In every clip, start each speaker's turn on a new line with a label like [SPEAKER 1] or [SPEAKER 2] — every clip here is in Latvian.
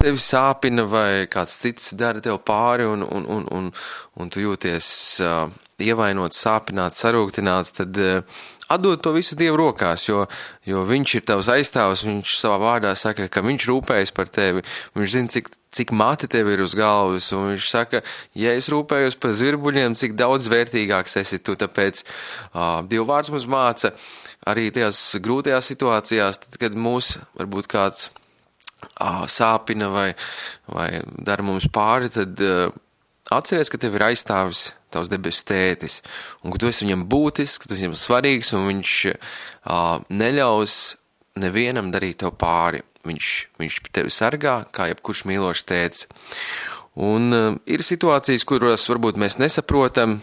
[SPEAKER 1] tevi sāpina vai kāds cits dara tev pāri un tu jūties ievainots, sāpināts, sarūktināts, tad atdod to visu Dievu rokās, jo viņš ir tavs aizstāvs, viņš savā vārdā saka, ka viņš rūpējas par tevi, viņš zina, cik mati tev ir uz galvas, un viņš saka, ja es rūpējos par zvirbuļiem, cik daudz vērtīgāks esi tu, tāpēc Dieva vārds mums māca arī tajās grūtajās situācijās, tad, kad mūs varbūt kāds sāpina vai dara mums pāri, tad atceries, ka tev ir aizstāvis tavs debesu tētis, un ka tu esi viņam būtisks, ka tu esi viņam svarīgs, un viņš neļaus nevienam darīt tev pāri. Viņš tevi sargā, kā jebkurš mīlošs tētis. Un ir situācijas, kuras varbūt mēs nesaprotam,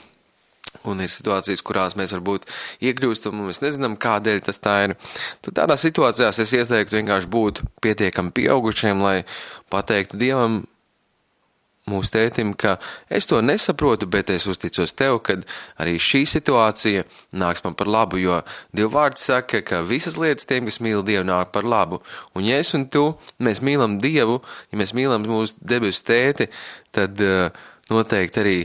[SPEAKER 1] un ir situācijas, kurās mēs varbūt iekļūstam, un mēs nezinām, kādēļ tas tā ir. Tad tādā situācijās es ieteiktu vienkārši būt pietiekami pieaugušiem, lai pateiktu Dievam, mūsu tētim, ka es to nesaprotu, bet es uzticos tev, kad arī šī situācija nāks man par labu, jo Dieva vārds saka, ka visas lietas tiem, kas mīl Dievu, nāk par labu. Un ja es un tu, mēs mīlam Dievu, ja mēs mīlam mūsu debesu tēti, tad noteikti arī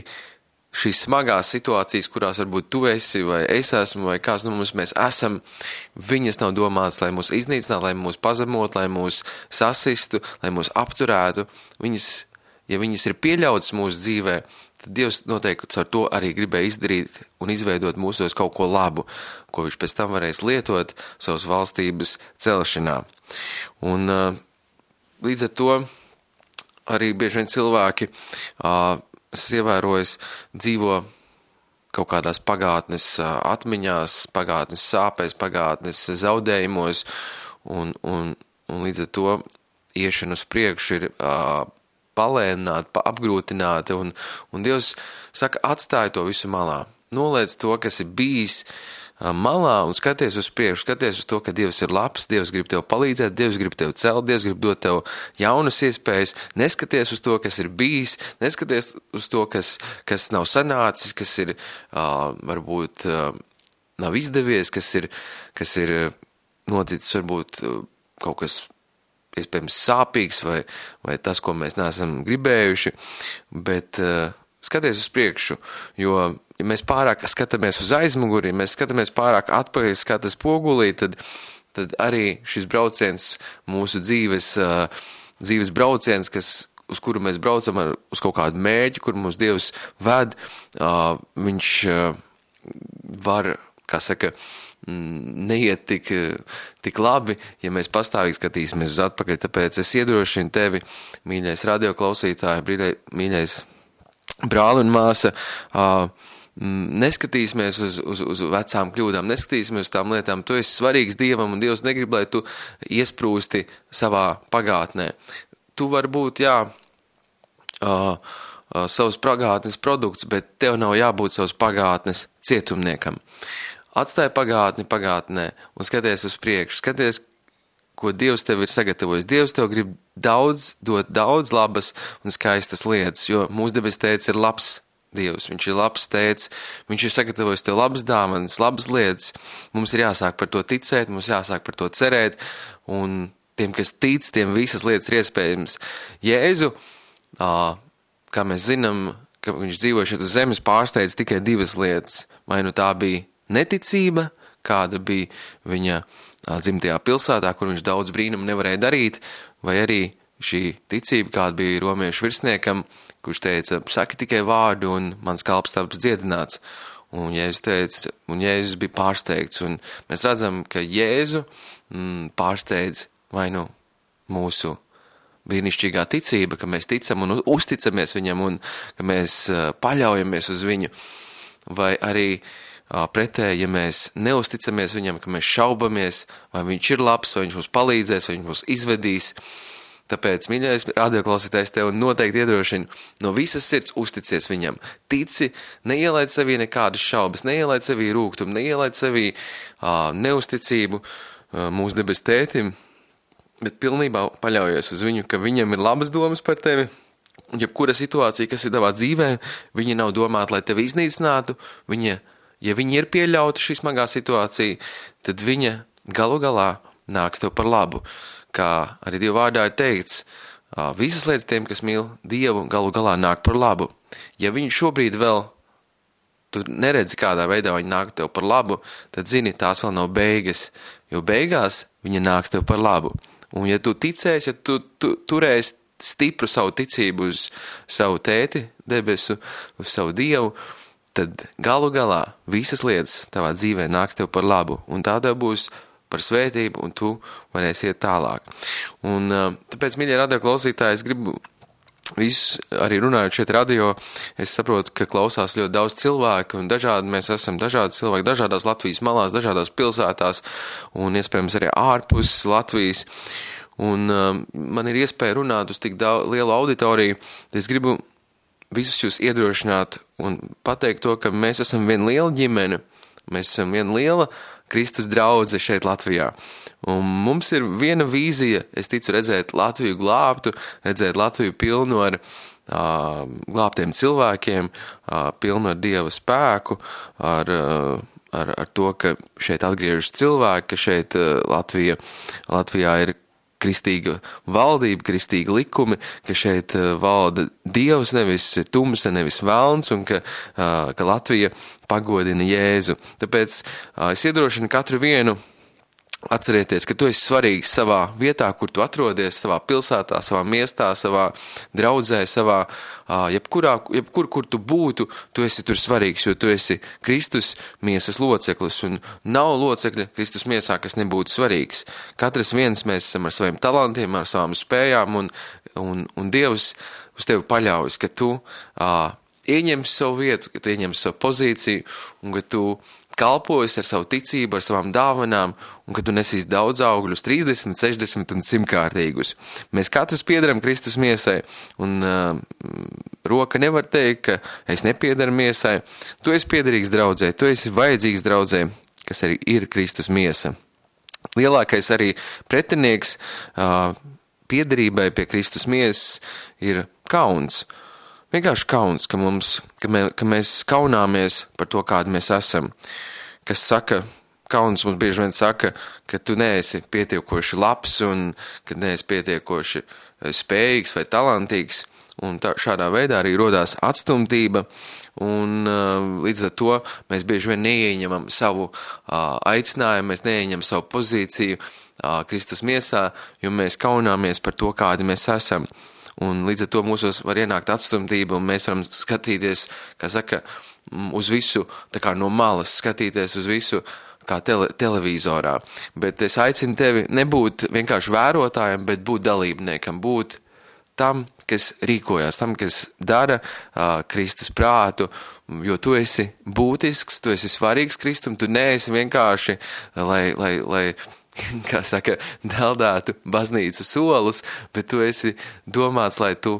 [SPEAKER 1] šīs smagās situācijas, kurās varbūt tu esi, vai es esmu, vai kāds no mums mēs esam, viņas nav domātas, lai mūs iznīcinātu, lai mūs pazemot, lai mūs sasistu, lai mūs apturētu. Ja viņas ir pieļautas mūsu dzīvē, tad Dievs noteikti ar to arī gribēja izdarīt un izveidot mūsos kaut ko labu, ko viņš pēc tam varēs lietot savas valstības celšanā. Un līdz ar to arī bieži vien cilvēki, es ievērojos, dzīvo kaut kādās pagātnes atmiņās, pagātnes sāpēs, pagātnes zaudējumos, un līdz ar to iešana uz priekšu ir palēnināta, apgrūtināta, un Dievs saka, atstāj to visu malā. Noliec to, kas ir bijis malā, un skaties uz priekšu, skaties uz to, ka Dievs ir labs, Dievs grib tev palīdzēt, Dievs grib tev celt, Dievs grib dot tev jaunas iespējas, neskaties uz to, kas ir bijis, neskaties uz to, kas nav sanācis, kas ir varbūt nav izdevies, kas ir noticis varbūt kaut kas iespējams sāpīgs vai tas, ko mēs neesam gribējuši, bet skaties uz priekšu, jo, ja mēs pārāk skatāmies uz aizmuguri, ja mēs skatāmies pārāk atpakaļ skatas pogulī, tad arī šis brauciens, mūsu dzīves brauciens, uz kuru mēs braucam uz kaut kādu mērķi, kur mums Dievs ved, viņš var, kā saka, neiet tik labi, ja mēs pastāvīgi skatīsimies uz atpakaļ, tāpēc es iedrošinu tevi, mīļais radioklausītāji, mīļais brāli un māsa, neskatīsimies uz vecām kļūdām, neskatīsimies uz tām lietām, tu esi svarīgs Dievam, un Dievs negrib, lai tu iesprūsti savā pagātnē. Tu vari būt, savas pagātnes produkts, bet tev nav jābūt savas pagātnes cietumniekam. Atstāj pagātni pagātnē un skaties uz priekšu, skaties, ko Dievs tev ir sagatavojis. Dievs tev grib dot daudz labas un skaistas lietas, jo mūsu debes tētis ir labs Dievs, viņš ir labs tētis, viņš ir sagatavojis tev labas dāvanas, labas lietas. Mums ir jāsāk par to ticēt, mums jāsāk par to cerēt, un tiem, kas tic, tiem visas lietas ir iespējams. Jēzu, kā mēs zinām, ka viņš dzīvoja šeit uz zemes, pārsteidz tikai divas lietas. Vai nu tā bija neticība, kāda bija viņa dzimtajā pilsētā, kur viņš daudz brīnumu nevarēja darīt, vai arī šī ticība, kāda bija romiešu virsniekam, kurš teica, saki tikai vārdu un mans kalps taps dziedināts. Un Jēzus teica, un Jēzus bija pārsteigts, un mēs redzam, ka Jēzu pārsteidz vai nu mūsu brīnišķīgā ticība, ka mēs ticam un uzticamies viņam un ka mēs paļaujamies uz viņu, vai arī pretēji, ja mēs neusticamies viņam, ka mēs šaubamies, vai viņš ir labs, vai viņš mums palīdzēs, vai viņš mums izvedīs. Tāpēc, mīļais radioklausītājs, tev noteikti iedrošina no visas sirds uzticies viņam. Tici, neielaid sevī nekādas šaubas, neielaid sevī rūgtumu, neielaid sevī neusticību mūsu debes tētim, bet pilnībā paļaujies uz viņu, ka viņam ir labas domas par tevi. Jebkura situācija, kas ir tavā dzīvē, viņa nav domāta, lai tevi iznīcinātu, ja viņa ir pieļauta šī smagā situācija, tad viņa galu galā nāks tev par labu. Kā arī Dieva vārdā ir teikts, Visas lietas tiem, kas mīl Dievu, galu galā nāk par labu. Ja viņi šobrīd vēl, tu neredzi, kādā veidā viņi nāk tev par labu, tad zini, tās vēl nav beigas, jo beigās viņa nāks tev par labu. Un ja tu ticēsi, ja tu turēsi stipru savu ticību uz savu tēti debesu, uz savu Dievu, tad galu galā visas lietas tavā dzīvē nāks tev par labu. Un tā tev būs par svētību, un tu varēsi iet tālāk. Un tāpēc, mīļie radio klausītāji, es gribu visus, arī runājot šeit radio, es saprotu, ka klausās ļoti daudz cilvēku, un mēs esam dažādi cilvēki, dažādās Latvijas malās, dažādās pilsētās, un iespējams arī ārpus Latvijas. Un man ir iespēja runāt uz tik lielu auditoriju, es gribu visus jūs iedrošināt un pateikt to, ka mēs esam viena liela ģimene, mēs esam viena liela Kristus draudze šeit Latvijā. Un mums ir viena vīzija, es ticu, redzēt Latviju glābtu, redzēt Latviju pilnu ar glābtiem cilvēkiem, pilnu ar Dieva spēku, ar to, ka šeit atgriežas cilvēki, ka šeit Latvijā ir kristīga valdība, kristīga likumi, ka šeit valda Dievs, nevis tumsa, nevis velns, un ka Latvija pagodina Jēzu. Tāpēc es iedrošinu katru vienu atcerieties, ka tu esi svarīgs savā vietā, kur tu atrodies, savā pilsētā, savā miestā, savā draudzē, jebkur, kur tu būtu, tu esi tur svarīgs, jo tu esi Kristus miesas loceklis, un nav locekļa Kristus miesā, kas nebūtu svarīgs. Katrs viens mēs esam ar saviem talantiem, ar savām spējām, un Dievs uz tevi paļaujas, ka tu ieņemsi savu vietu, ka tu ieņemsi savu pozīciju, un ka tu kalpojas ar savu ticību, ar savām dāvanām, un ka tu nesīs daudz augļus, 30, 60 un 100-kārtīgus. Mēs katrs piederam Kristus miesai, un roka nevar teikt, ka es nepiedaru miesai. Tu esi piederīgs draudzē, tu esi vajadzīgs draudzē, kas arī ir Kristus miesa. Lielākais arī pretinieks piederībai pie Kristus miesas ir kauns. Vienkārši kauns, ka mēs kaunāmies par to, kādi mēs esam. Kas saka, kauns mums bieži vien saka, ka tu neesi pietiekoši labs un ka neesi pietiekoši spējīgs vai talantīgs. Un šādā veidā arī rodās atstumtība, un līdz ar to mēs bieži vien neieņemam savu aicinājumu, mēs neieņemam savu pozīciju Kristus miesā, jo mēs kaunāmies par to, kādi mēs esam. Un līdz ar to mūsos var ienākt atstumtība, un mēs varam skatīties, kā saka, uz visu, tā kā no malas, skatīties uz visu, kā televīzorā. Bet es aicinu tevi nebūt vienkārši vērotājiem, bet būt dalībniekam, būt tam, kas rīkojās, tam, kas dara Kristus prātu, jo tu esi būtisks, tu esi svarīgs Kristum, tu neesi vienkārši, lai kā saka, deldētu baznīcas solus, bet tu esi domāts, lai tu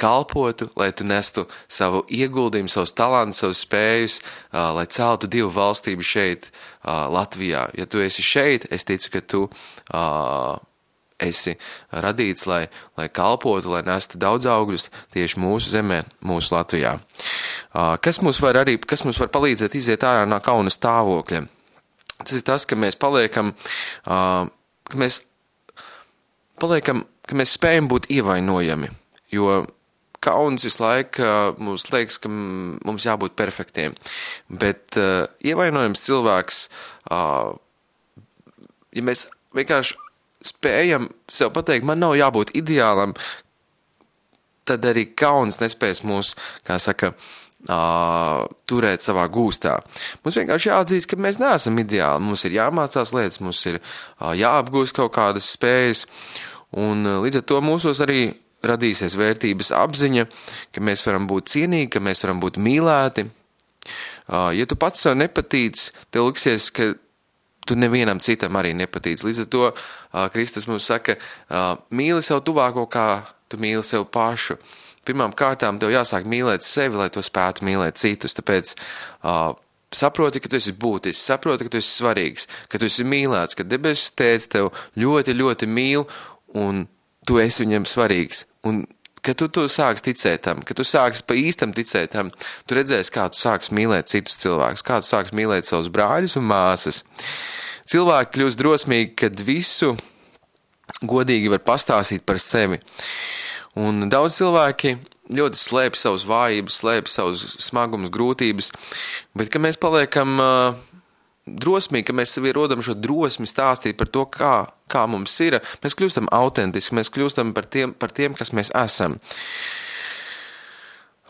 [SPEAKER 1] kalpotu, lai tu nestu savu ieguldījumu, savus talantus, savus spējus, lai celtu Dievu valstību šeit, Latvijā. Ja tu esi šeit, es ticu, ka tu esi radīts, lai kalpotu, lai nestu daudz augļus tieši mūsu zemē, mūsu Latvijā. Kas mums var palīdzēt iziet ārā no kauna stāvokļa? Tas ir tas, ka mēs paliekam, ka mēs spējam būt ievainojami, jo kauns visu laiku mums liekas, ka mums jābūt perfektiem, bet ievainojams cilvēks, ja mēs vienkārši spējam sev pateikt, man nav jābūt ideālam, tad arī kauns nespēs mūs, kā saka, turēt savā gūstā. Mums vienkārši jāatzīst, ka mēs neesam ideāli, mums ir jāmācās lietas, mums ir jāapgūst kaut kādas spējas, un līdz ar to mūsos arī radīsies vērtības apziņa, ka mēs varam būt cienīgi, ka mēs varam būt mīlēti. Ja tu pats sev nepatīc, tev liksies, ka tu nevienam citam arī nepatīc. Līdz ar to Kristus mums saka, mīli sev tuvāko, kā tu mīli sev pašu. Pirmām kārtām tev jāsāk mīlēt sevi, lai tu spētu mīlēt citus, tāpēc saproti, ka tu esi būtisks, saproti, ka tu esi svarīgs, ka tu esi mīlēts, ka debesis Tēvs tev ļoti, ļoti mīl, un tu esi viņam svarīgs, un ka tu sāks ticēt tam, ka tu sāks pa īstam ticēt tam, tu redzēsi, kā tu sāks mīlēt citus cilvēkus, kā tu sāks mīlēt savus brāļus un māsas. Cilvēki kļūst drosmīgi, kad visu godīgi var pastāstīt par sevi. Un daudz cilvēki ļoti slēp savus vājības, slēp savus smagumus, grūtības, bet, ka mēs paliekam drosmīgi, ka mēs sevi rodam šo drosmi stāstīt par to, kā mums ir, mēs kļūstam autentiski, mēs kļūstam par tiem, kas mēs esam.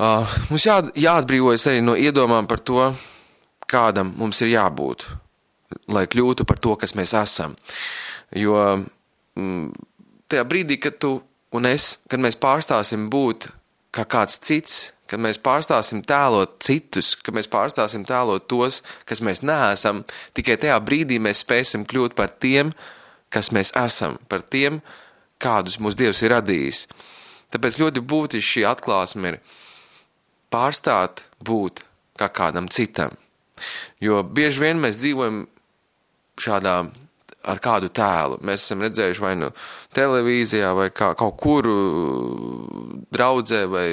[SPEAKER 1] Mums jāatbrīvojas arī no iedomām par to, kādam mums ir jābūt, lai kļūtu par to, kas mēs esam. Jo tajā brīdī, kad tu un es, kad mēs pārstāsim būt kā kāds cits, kad mēs pārstāsim tēlot citus, kad mēs pārstāsim tēlot tos, kas mēs neesam, tikai tajā brīdī mēs spēsim kļūt par tiem, kas mēs esam, par tiem, kādus mūsu Dievs ir radījis. Tāpēc ļoti būtiski šī atklāsme ir pārstāt būt kā kādam citam. Jo bieži vien mēs dzīvojam šādā ar kādu tēlu. Mēs esam redzējuši vai nu televīzijā, vai kaut kur draudzē, vai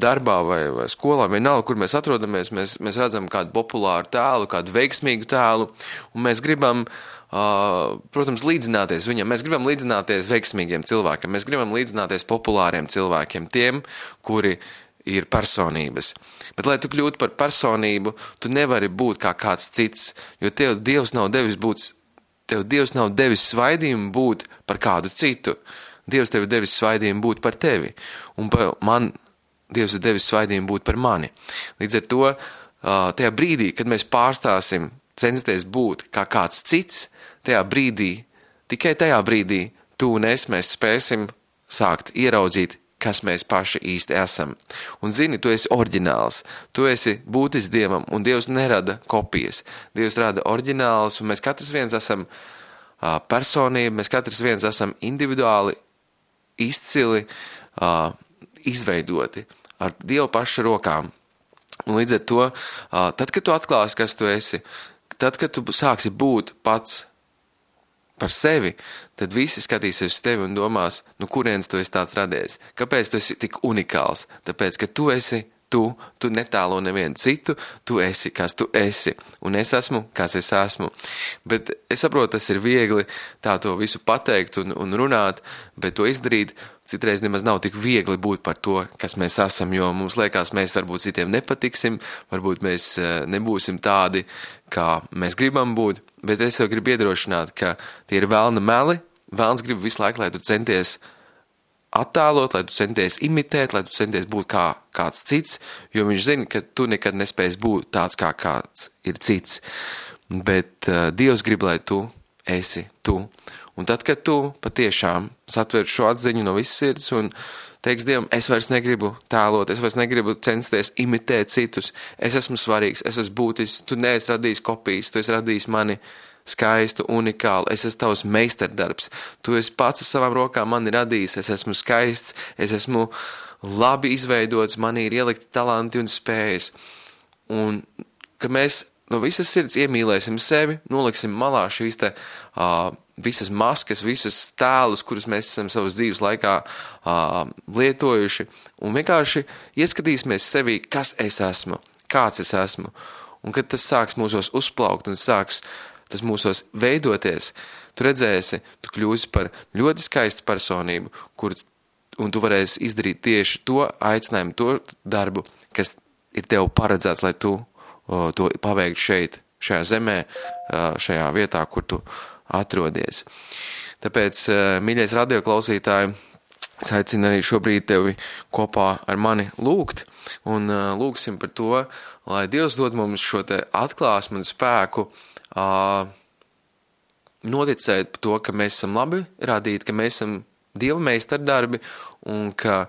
[SPEAKER 1] darbā, vai skolā, vienalga, kur mēs atrodamies, mēs redzam kādu populāru tēlu, kādu veiksmīgu tēlu, un mēs gribam, protams, līdzināties viņam. Mēs gribam līdzināties veiksmīgiem cilvēkiem, mēs gribam līdzināties populāriem cilvēkiem, tiem, kuri ir personības. Bet, lai tu kļūtu par personību, tu nevari būt kā kāds cits, jo tev Dievs nav devis svaidījumu būt par kādu citu. Dievs tev ir devis svaidījumu būt par tevi. Un man Dievs ir devis svaidījumu būt par mani. Līdz ar to, tajā brīdī, kad mēs pārstāsim censties būt kā kāds cits, tikai tajā brīdī, tu un es mēs spēsim sākt ieraudzīt, kas mēs paši īsti esam. Un zini, tu esi oriģināls, tu esi būtis Dievam, un Dievs nerada kopijas. Dievs rada oriģināls, un mēs katrs viens esam personība, mēs katrs viens esam individuāli, izcili, izveidoti ar Dievu pašu rokām. Un līdz ar to, tad, kad tu atklāsi, kas tu esi, tad, kad tu sāksi būt pats par sevi, tad visi skatīsies uz tevi un domās, nu kurienes tu esi tāds radies? Kāpēc tu esi tik unikāls? Tāpēc, ka tu esi tu netēlo nevienu citu, tu esi, kas tu esi, un es esmu, kas es esmu. Bet es saprotu, tas ir viegli tā to visu pateikt un runāt, bet to izdarīt citreiz nemaz nav tik viegli būt par to, kas mēs esam, jo mums liekas, mēs varbūt citiem nepatiksim, varbūt mēs nebūsim tādi, kā mēs gribam būt, bet es jau gribu iedrošināt, ka tie ir velna meli, velns grib visu laiku, lai tu centies attēlot, lai tu centies imitēt, lai tu centies būt kā kāds cits, jo viņš zina, ka tu nekad nespēsi būt tāds, kā kāds ir cits. Bet Dievs grib, lai tu esi tu. Un tad, kad tu patiešām satver šo atziņu no visas sirds un teiks Dievam, es vairs negribu tēlot, es vairs negribu censties imitēt citus, es esmu svarīgs, es esmu būtis, tu neesi radījis kopijas, tu esi radījis mani skaistu, unikālu, es esmu tavs meistardarbs, tu esi pats ar savām rokām mani radījis, es esmu skaists, es esmu labi izveidots, manī ir ielikti talanti un spējas. Un, ka mēs no visas sirds iemīlēsim sevi, noliksim malā šīs visas maskas, visas tēlus, kurus mēs esam savas dzīves laikā lietojuši, un vienkārši ieskatīsimies sevi, kas es esmu, kāds es esmu. Un kad tas sāks mūsos uzplaukt un sāks tas mūsos veidoties, tu redzēsi, tu kļūsi par ļoti skaistu personību, un tu varēsi izdarīt tieši to aicinājumu, to darbu, kas ir tev paredzēts, lai tu to paveiktu šeit, šajā zemē, šajā vietā, kur tu atrodies. Tāpēc, mīļais radioklausītāji, es aicinu arī šobrīd tevi kopā ar mani lūgt, un lūgsim par to, lai Dievs dod mums šo te atklāsmu un spēku, noticēt par to, ka mēs esam labi radīti, ka mēs esam Dieva meistardarbi un ka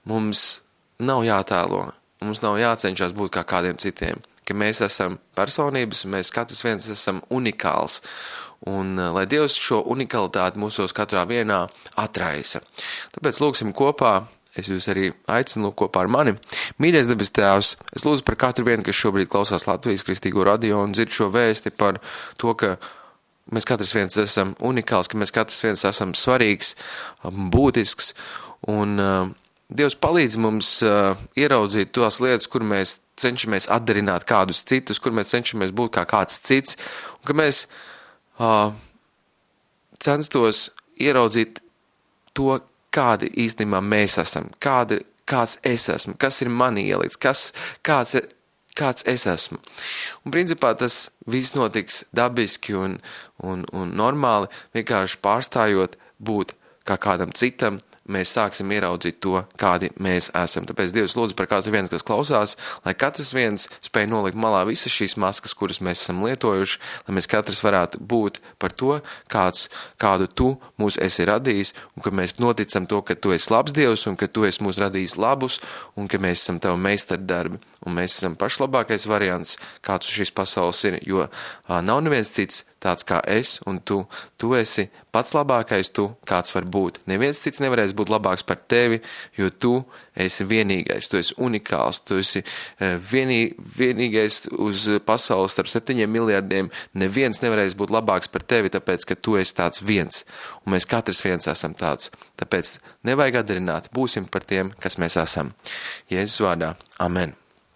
[SPEAKER 1] mums nav jātēlo, mums nav jācenšas būt kā kādiem citiem, ka mēs esam personības un mēs katrs viens esam unikāls. Un lai Dievs šo unikalitāti mūsos katrā vienā atraisa. Tāpēc lūgsim kopā, es jūs arī aicinu kopā ar mani. Mīļais debes Tēvs, es lūdzu par katru vienu, kas šobrīd klausās Latvijas Kristīgo radio un dzird šo vēsti par to, ka mēs katrs viens esam unikāls, ka mēs katrs viens esam svarīgs, būtisks, un Dievs palīdz mums ieraudzīt tos lietas, kur mēs cenšamies atdarināt kādus citus, kur mēs cenšamies būt kā kāds cits, un ka mēs censtos ieraudzīt to, kādi īstenībā mēs esam, kāds es esmu, kas ir man ielikts, kāds es esmu. Un principā tas viss notiks dabiski un normāli, vienkārši pārstājot būt kā kādam citam, mēs sāksim ieraudzīt to, kādi mēs esam. Tāpēc Dievs lūdzu par katru vienu, kas klausās, lai katrs viens spēj nolikt malā visas šīs maskas, kuras mēs esam lietojuši, lai mēs katrs varētu būt par to, kādu tu mūs esi radījis, un ka mēs noticam to, ka tu esi labs Dievs, un ka tu esi mūs radījis labus, un ka mēs esam tavu meistardarbi, un mēs esam pašlabākais variants, kāds uz šīs pasaules ir, jo nav neviens cits tāds kā es un tu. Tu esi pats labākais tu, kāds var būt. Neviens cits nevarēs būt labāks par tevi, jo tu esi vienīgais, tu esi unikāls, tu esi vienīgais uz pasaules starp 7 miljardiem. Neviens nevarēs būt labāks par tevi, tāpēc, ka tu esi tāds viens. Un mēs katrs viens esam tāds. Tāpēc nevajag atdarināt, būsim par tiem, kas mēs esam. Jēzus vārdā. Amen.